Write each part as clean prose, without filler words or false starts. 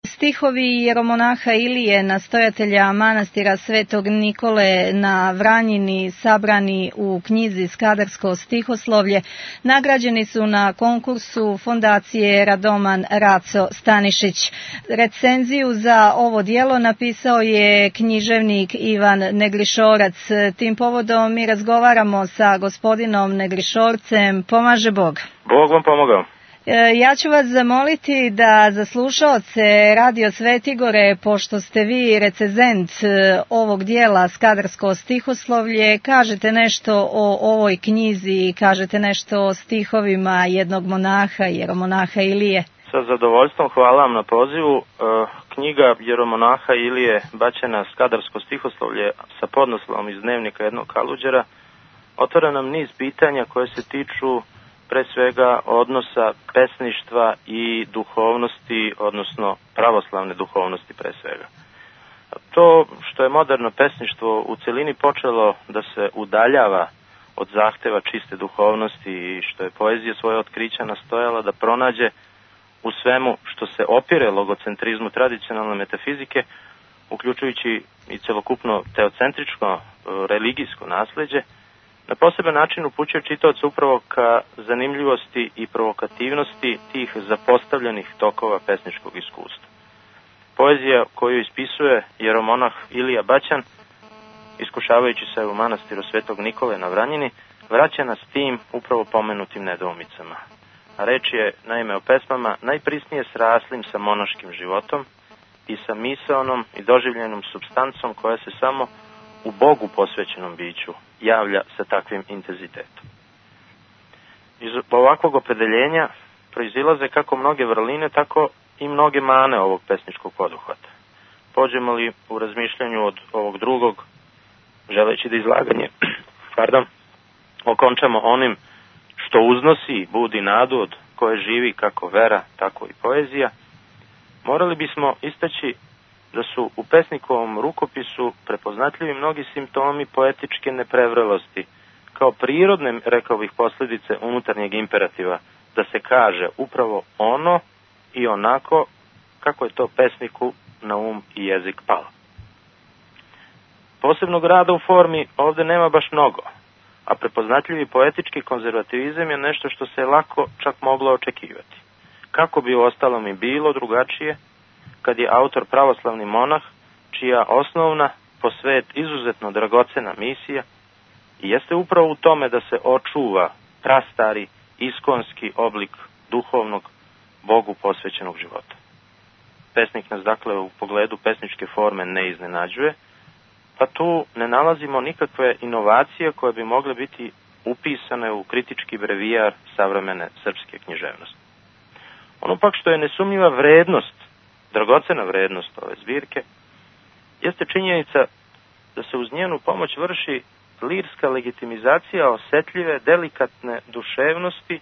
Stihovi jeromonaha Ilije, nastojatelja manastira Svetog Nikole na Vranjini, sabrani u knjizi Skadarsko stihoslovlje, nagrađeni su na konkursu Fondacije Radoman Raco Stanišić. Recenziju za ovo djelo napisao je književnik Ivan Neglišorac. Tim povodom mi razgovaramo sa gospodinom Neglišorcem. Pomaže Bog. Bog vam pomogao. Ja ću vas zamoliti da za slušaoce Radio Svetigore, pošto ste vi recenzent ovog dijela Skadarsko stihoslovlje, kažete nešto o ovoj knjizi, kažete nešto o stihovima jednog monaha, jeromonaha Ilije. Sa zadovoljstvom, hvala vam na pozivu. Knjiga jeromonaha Ilije Baćena Skadarsko stihoslovlje sa podnaslovom iz dnevnika jednog kaluđera otvara nam niz pitanja koje se tiču pre svega odnosa pesništva i duhovnosti, odnosno pravoslavne duhovnosti pre svega. To što je moderno pesništvo u celini počelo da se udaljava od zahteva čiste duhovnosti i što je poezija svoje otkrića nastojala da pronađe u svemu što se opire logocentrizmu tradicionalne metafizike, uključujući i celokupno teocentričko religijsko nasleđe, na poseban način upućuje čitaoca upravo ka zanimljivosti i provokativnosti tih zapostavljenih tokova pesničkog iskustva. Poezija koju ispisuje jeromonah Ilija Baćan, iskušavajući se u manastiru Svetog Nikole na Vranjini, vraća nas tim upravo pomenutim nedoumicama. A reč je naime o pesmama najprisnije sraslim sa monaškim životom i sa misaonom i doživljenom supstancom koja se samo u Bogu posvećenom biću javlja sa takvim intenzitetom. Iz ovakvog opredeljenja proizilaze kako mnoge vrline, tako i mnoge mane ovog pesničkog poduhvata. Pođemo li u razmišljanju od ovog drugog, želeći da izlaganje okončamo onim što uznosi i budi nadu, od koje živi kako vera, tako i poezija, morali bismo istaći da su u pesnikovom rukopisu prepoznatljivi mnogi simptomi poetičke neprevrelosti, kao prirodne, rekao bih, posljedice unutarnjeg imperativa, da se kaže upravo ono i onako kako je to pesniku na um i jezik palo. Posebnog rada u formi ovde nema baš mnogo, a prepoznatljivi poetički konzervativizam je nešto što se lako čak moglo očekivati. Kako bi u ostalom i bilo drugačije, kad je autor pravoslavni monah, čija osnovna, po svet izuzetno dragocena misija, i jeste upravo u tome da se očuva prastari, iskonski oblik duhovnog, Bogu posvećenog života. Pesnik nas dakle u pogledu pesničke forme ne iznenađuje, pa tu ne nalazimo nikakve inovacije koje bi mogle biti upisane u kritički brevijar savremene srpske književnosti. Ono pak što je nesumnjiva vrednost, dragocena vrednost ove zbirke, jeste činjenica da se uz njenu pomoć vrši lirska legitimizacija osetljive, delikatne duševnosti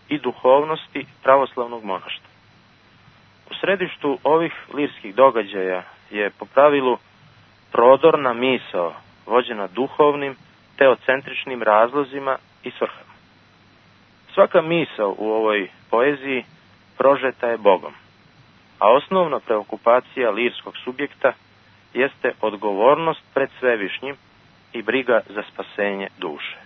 i duhovnosti pravoslavnog monaštva. U središtu ovih lirskih događaja je po pravilu prodorna misao, vođena duhovnim, teocentričnim razlozima i svrhama. Svaka misao u ovoj poeziji prožeta je Bogom, a osnovna preokupacija lirskog subjekta jeste odgovornost pred Svevišnjim i briga za spasenje duše.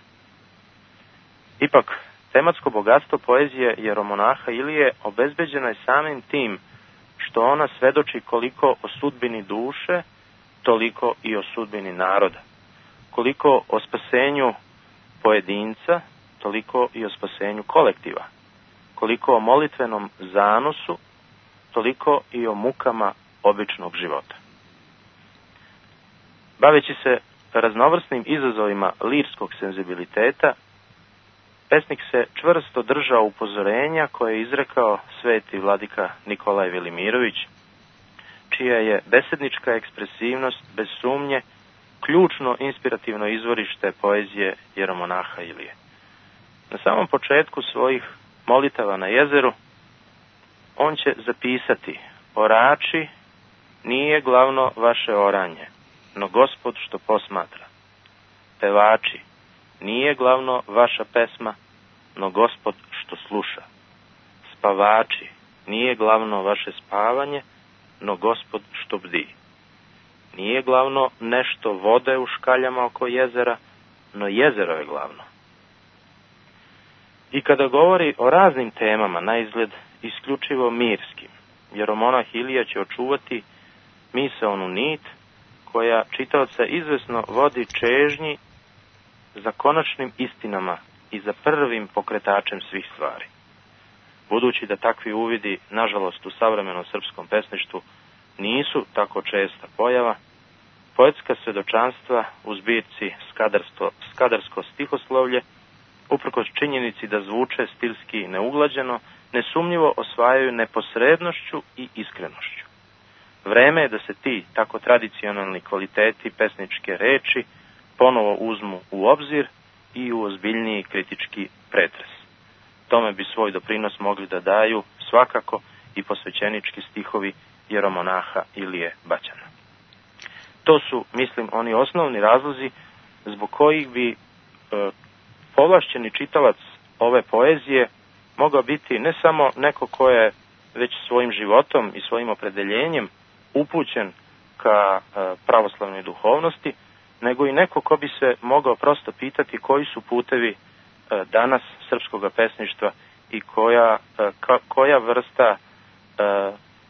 Ipak, tematsko bogatstvo poezije jeromonaha Ilije obezbeđeno je samim tim što ona svedoči koliko o sudbini duše, toliko i o sudbini naroda. Koliko o spasenju pojedinca, toliko i o spasenju kolektiva. Koliko o molitvenom zanosu, toliko i o mukama običnog života. Baveći se raznovrsnim izazovima lirskog senzibiliteta, pesnik se čvrsto držao upozorenja koje je izrekao sveti vladika Nikolaj Velimirović, čija je besednička ekspresivnost bez sumnje ključno inspirativno izvorište poezije jeromonaha Ilije. Na samom početku svojih molitava na jezeru on će zapisati: orači, nije glavno vaše oranje, no Gospod što posmatra. Pevači, nije glavno vaša pesma, no Gospod što sluša. Spavači, nije glavno vaše spavanje, no Gospod što bdi. Nije glavno nešto vode u škaljama oko jezera, no jezero je glavno. I kada govori o raznim temama, na izgled isključivo mirskim, vjeromonah Ilija će očuvati misaonu nit koja čitaoca izvesno vodi čežnji za konačnim istinama i za prvim pokretačem svih stvari. Budući da takvi uvidi, nažalost, u savremenom srpskom pesništvu nisu tako česta pojava, poetska svedočanstva u zbirci Skadarsko stihoslovlje, uprkos činjenici da zvuče stilski neuglađeno, nesumnjivo osvajaju neposrednošću i iskrenošću. Vreme je da se ti tako tradicionalni kvaliteti pesničke reči ponovo uzmu u obzir i u ozbiljniji kritički pretres. Tome bi svoj doprinos mogli da daju svakako i posvećenički stihovi jeromonaha Ilije Baćana. To su, mislim, oni osnovni razlozi zbog kojih bi povlašćeni čitalac ove poezije mogao biti ne samo neko ko je već svojim životom i svojim opredeljenjem upućen ka pravoslavnoj duhovnosti, nego i neko ko bi se mogao prosto pitati koji su putevi danas srpskog pesništva i koja vrsta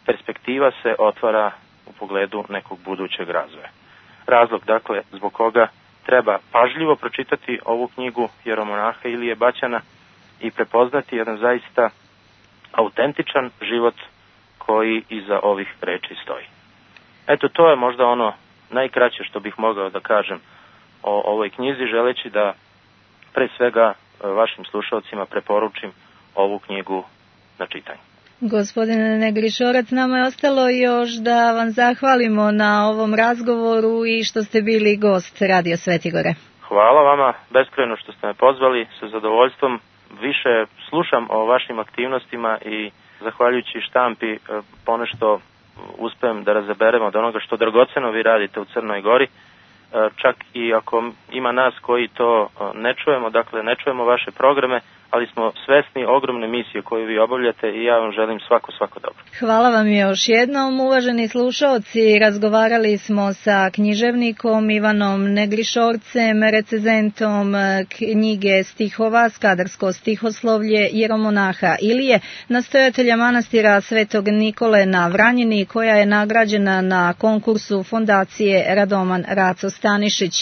perspektiva se otvara u pogledu nekog budućeg razvoja. Razlog, dakle, zbog koga treba pažljivo pročitati ovu knjigu jeromonaha Ilije Baćana i prepoznati jedan zaista autentičan život koji iza ovih reči stoji. Eto, to je možda ono najkraće što bih mogao da kažem o ovoj knjizi, želeći da pre svega vašim slušalcima preporučim ovu knjigu na čitanje. Gospodine Negrišorac, nama je ostalo još da vam zahvalimo na ovom razgovoru i što ste bili gost Radio Svetigore. Hvala vama beskrajno što ste me pozvali, sa zadovoljstvom više slušam o vašim aktivnostima i zahvaljujući štampi ponešto uspem da razaberem od onoga što dragoceno vi radite u Crnoj Gori, čak i ako ima nas koji to ne čujemo, dakle ne čujemo vaše programe, ali smo svesni ogromne misije koju vi obavljate i ja vam želim svako dobro. Hvala vam još jednom, uvaženi slušaoci. Razgovarali smo sa književnikom Ivanom Negrišorcem, recenzentom knjige stihova Skadarsko stihoslovlje jeromonaha Ilije, nastojatelja manastira Svetog Nikole na Vranjini, koja je nagrađena na konkursu Fondacije Radoman Raco Stanišić.